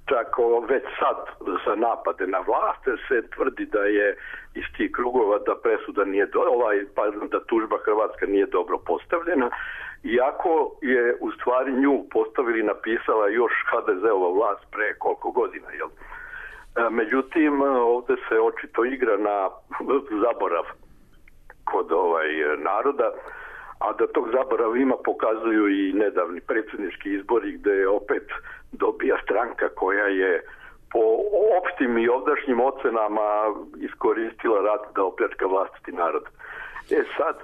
čak već sad za napade na vlast, se tvrdi da je iz tih krugova da presuda nije da tužba hrvatska nije dobro postavljena, iako je u stvari nju postavili, napisala još HDZ-ova vlast pre koliko godina, jel? Međutim, ovdje se očito igra na zaborav kod naroda, a da tog zaborava ima pokazuju i nedavni predsjednički izbori gdje opet dobija stranka koja je po opštim i ovdašnjim ocenama iskoristila rat da opljačka vlastiti narod. Sad,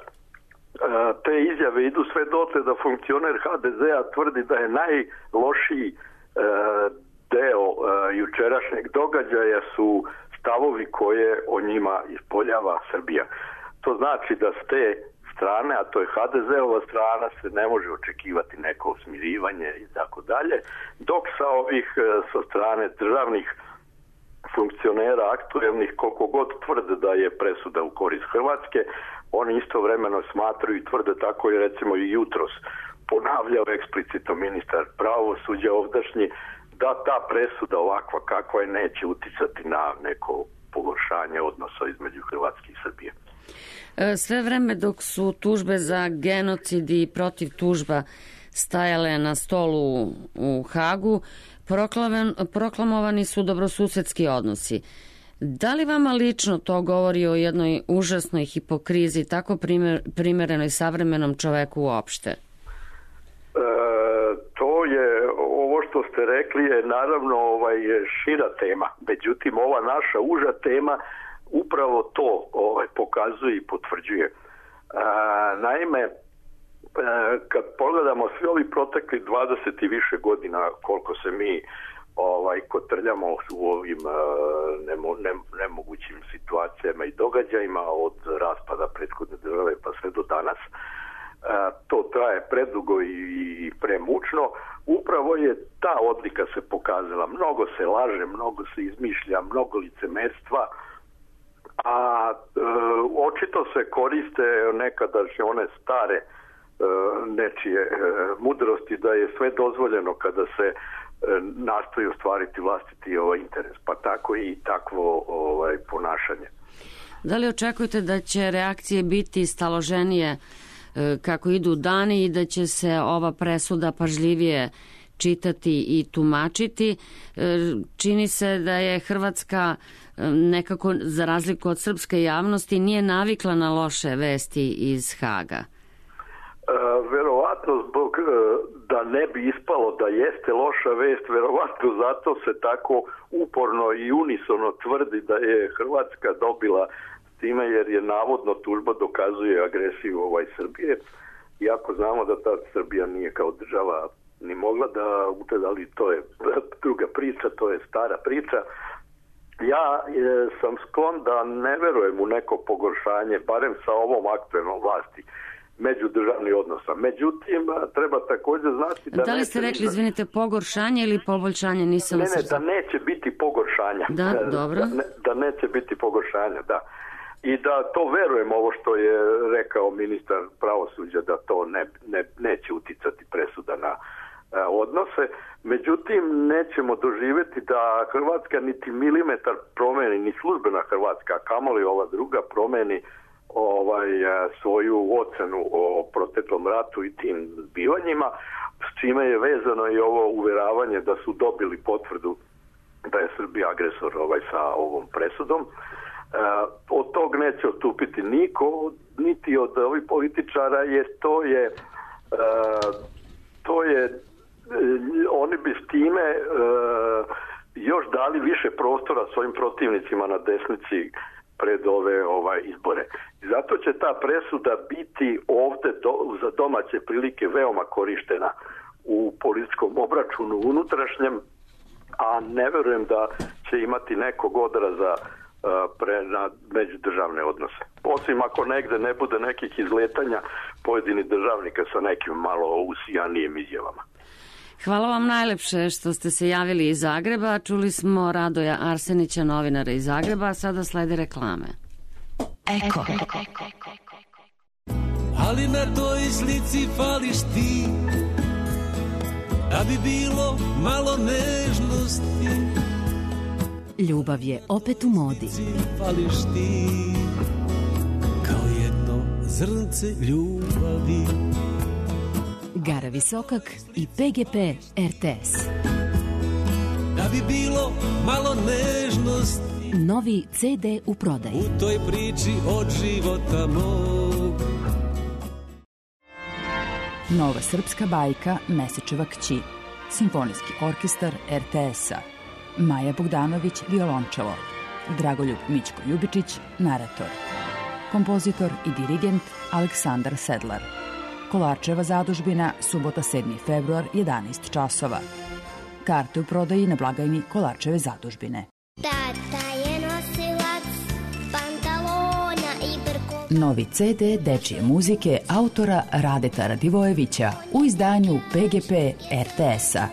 te izjave idu sve dotle da funkcioner HDZ-a tvrdi da je najlošiji deo jučerašnjeg događaja su stavovi koje o njima ispoljava Srbija. To znači da s te strane, a to je HDZ-ova strana, se ne može očekivati neko smirivanje i tako dalje, dok sa strane državnih funkcionera aktuelnih, koliko god tvrde da je presuda u korist Hrvatske, oni istovremeno smatraju i tvrde, tako je recimo i jutros ponavljao eksplicitno ministar pravosuđa ovdašnji, da ta presuda ovakva kakva je neće uticati na neko pogoršanje odnosa između Hrvatske i Srbije. Sve vreme dok su tužbe za genocid i protiv tužba stajale na stolu u Hagu, proklamovani su dobrosusedski odnosi. Da li vama lično to govori o jednoj užasnoj hipokrizi, tako primerenoj savremenom čoveku uopšte? To je, ovo što ste rekli je naravno šira tema. Međutim, ova naša uža tema upravo to pokazuje i potvrđuje. Naime, kad pogledamo svi ovi protekli 20 i više godina koliko se mi kotrljamo u ovim nemogućim situacijama i događajima od raspada prethodne države pa sve do danas, to traje predugo i premučno. Upravo je ta odlika se pokazala. Mnogo se laže, mnogo se izmišlja, mnogo licemerstva, a očito se koriste nekadašnje one stare nečije mudrosti da je sve dozvoljeno kada se nastoji ostvariti vlastiti interes, pa tako i takvo ponašanje. Da li očekujete da će reakcije biti staloženije kako idu dani i da će se ova presuda pažljivije čitati i tumačiti? Čini se da je Hrvatska nekako, za razliku od srpske javnosti, nije navikla na loše vesti iz Haga. Verovatno zbog da ne bi ispalo da jeste loša vest, verovatno zato se tako uporno i unisono tvrdi da je Hrvatska dobila s time, jer je navodno tužba dokazuje agresiju Srbije, iako znamo da ta Srbija nije kao država ni mogla da utvrdi, ali to je druga priča, to je stara priča. Ja sam sklon da ne verujem u neko pogoršanje, barem sa ovom aktuelnom vlasti, međudržavnih odnosa. Međutim, treba također znati da li ste rekli, izvinite, pogoršanje ili poboljšanje? Nisam da neće biti pogoršanja. Da, dobro. Da neće biti pogoršanja, da. I da to verujem, ovo što je rekao ministar pravosuđa, da to neće uticati presuda na odnose. Međutim, nećemo doživjeti da Hrvatska niti milimetar promeni, ni službena Hrvatska, kamoli ova druga promeni svoju ocenu o proteklom ratu i tim zbivanjima, s čime je vezano i ovo uveravanje da su dobili potvrdu da je Srbija agresor sa ovom presudom. Od tog neće odstupiti niko, niti od ovih političara, jer to je oni bi s time još dali više prostora svojim protivnicima na desnici pred ove izbore. I zato će ta presuda biti ovdje za domaće prilike veoma korištena u političkom obračunu unutrašnjem, a ne verujem da će imati nekog odraza na međudržavne odnose. Osim ako negde ne bude nekih izletanja pojedinih državnika sa nekim malo usijanijim izjavama. Hvala vam najlepše što ste se javili iz Zagreba. Čuli smo Radoja Arsenića, novinara iz Zagreba, a sada slede reklame. Eko. Ali na toj slici fališ ti, da bi bilo malo nežnosti. Ljubav je opet u modi. Fališ ti, kao jedno zrnce ljubavi. Gara Visokak i PGP RTS. Da bi bilo malo nežnosti. Novi CD u prodaji. U toj priči od života mog. Nova srpska bajka Mesečeva kći. Simfonijski orkestar RTS-a. Maja Bogdanović, violončelo. Dragoljub Mićko Ljubičić, narator. Kompozitor i dirigent Aleksandar Sedlar. Kolarčeva zadužbina, subota 7. februar, 11 časova. Karte u prodaji na blagajni Kolarčeve zadužbine. Tata je nosilac pantalona i brko. Novi CD dečije muzike autora Radeta Radivojevića u izdanju PGP RTS-a.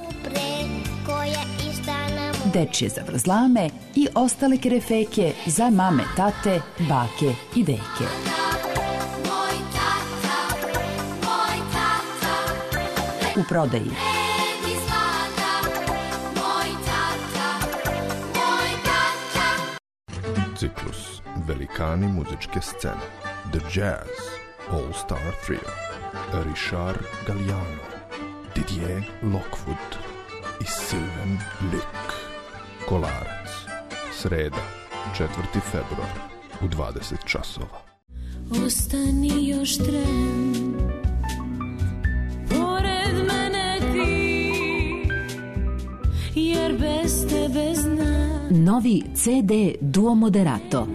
Dečije zavrzlame i ostale kerefeke za mame, tate, bake i deke. U prodaji. Ciklus Velikani muzičke scene. The Jazz All Star Trio. Richard Galliano, Didier Lockwood i Sylvain Luc. Kolarac. Sreda, 4. februar u 20 časova. Ostani još tren, pored mene ti, jer bez tebe znam. Novi CD Duo Moderato.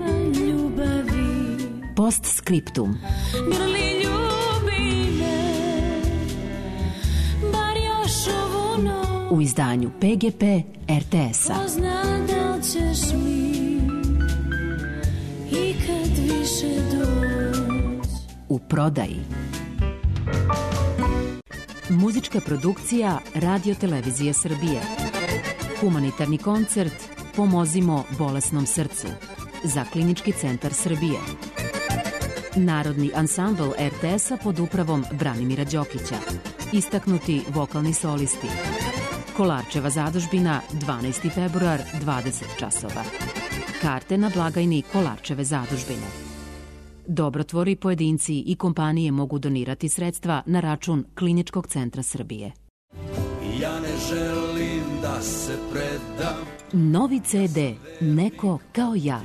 Postscriptum. Grli, ljubi me, bar još ovu noć. U izdanju PGP RTS-a. Ko zna da li ćeš mi ikad više doći. U prodaji. Muzička produkcija Radio Televizije Srbije. Humanitarni koncert Pomozimo bolesnom srcu za Klinički centar Srbije. Narodni ansambl RTS-a pod upravom Branimira Đokića. Istaknuti vokalni solisti. Kolarčeva zadužbina, 12. februar, 20 časova. Karte na blagajni Kolarčeve zadužbine. Dobrotvori, pojedinci i kompanije mogu donirati sredstva na račun Kliničkog centra Srbije. Ja ne želim da se predam. Novi CD Neko kao ja.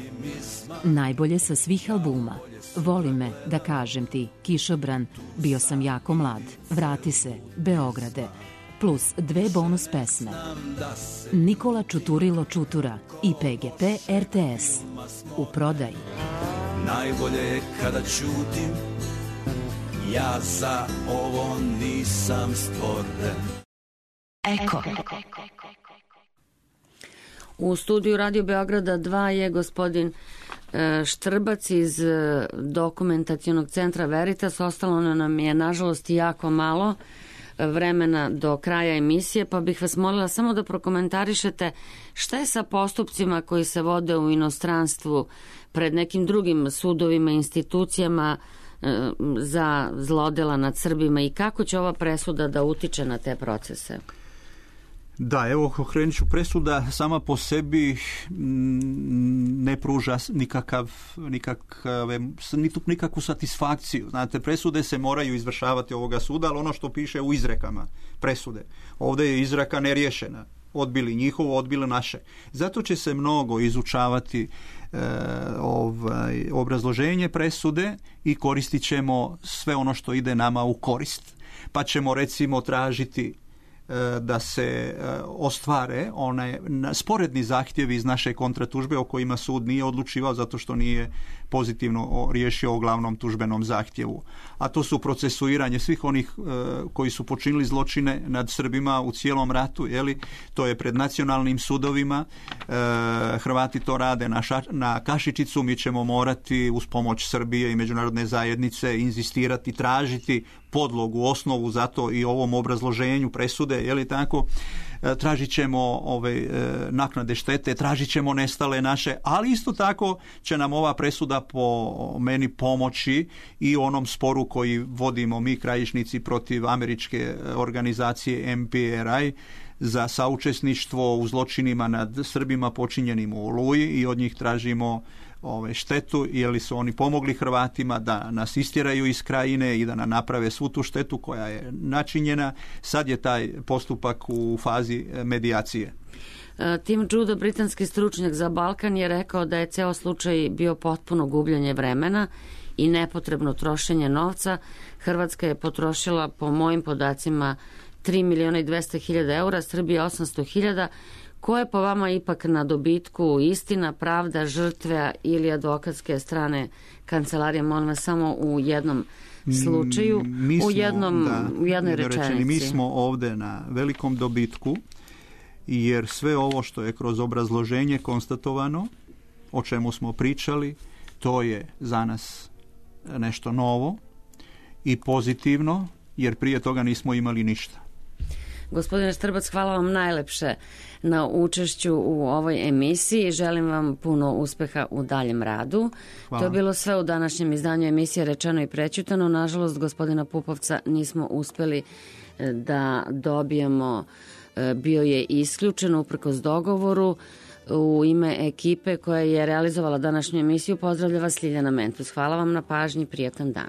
Najbolje sa svih albuma. Voli me, da kažem ti, Kišobran, Bio sam jako mlad, Vrati se, Beograde, plus 2 bonus pesme. Nikola Čuturilo Čutura i PGP RTS. U prodaji. Najbolje je kada ćutim, ja za ovo nisam stvoren. Eko. U studiju Radio Beograda 2 je gospodin Štrbac iz dokumentacionog centra Veritas. Ostalo nam je, nažalost, jako malo vremena do kraja emisije, pa bih vas molila samo da prokomentarišete šta je sa postupcima koji se vode u inostranstvu pred nekim drugim sudovima, institucijama za zlodela nad Srbima i kako će ova presuda da utiče na te procese? Da, evo, okrenut ću, presuda sama po sebi ne pruža nikakvu satisfakciju. Znate, presude se moraju izvršavati ovoga suda, ali ono što piše u izrekama presude. Ovdje je izreka neriješena. Odbili njihovo, odbili naše. Zato će se mnogo izučavati obrazloženje presude i koristit ćemo sve ono što ide nama u korist. Pa ćemo recimo tražiti da se ostvare one sporedni zahtjevi iz naše kontratužbe o kojima sud nije odlučivao zato što nije pozitivno riješio o glavnom tužbenom zahtjevu. A to su procesuiranje svih onih koji su počinili zločine nad Srbima u cijelom ratu, to je pred nacionalnim sudovima. Hrvati to rade na kašičicu, mi ćemo morati uz pomoć Srbije i međunarodne zajednice inzistirati, tražiti podlogu, osnovu za to i ovom obrazloženju presude, tako, tražit ćemo naknade štete, tražit ćemo nestale naše, ali isto tako će nam ova presuda po meni pomoći i onom sporu koji vodimo mi krajišnici protiv američke organizacije MPRI za saučesništvo u zločinima nad Srbima počinjenim u Oluji i od njih tražimo štetu, jer su oni pomogli Hrvatima da nas istjeraju iz krajine i da nam naprave svu tu štetu koja je načinjena. Sad je taj postupak u fazi medijacije. Tim Judo, britanski stručnjak za Balkan, je rekao da je ceo slučaj bio potpuno gubljenje vremena i nepotrebno trošenje novca. Hrvatska je potrošila, po mojim podacima, 3.200.000 eura, Srbija 800.000. Ko je po vama ipak na dobitku, istina, pravda, žrtve ili advokatske strane kancelarije? Molim vas, samo u jednom slučaju, u jednoj rečenici. Mi smo ovdje na velikom dobitku, jer sve ovo što je kroz obrazloženje konstatovano, o čemu smo pričali, to je za nas nešto novo i pozitivno, jer prije toga nismo imali ništa. Gospodine Štrbac, hvala vam najlepše na učešću u ovoj emisiji. Želim vam puno uspeha u daljem radu. Hvala. To je bilo sve u današnjem izdanju emisije Rečeno i prećutano. Nažalost, gospodina Pupovca nismo uspeli da dobijemo. Bio je isključen uprkos dogovoru. U ime ekipe koja je realizovala današnju emisiju pozdravlja vas Ljiljana Mentus. Hvala vam na pažnji, prijatan dan.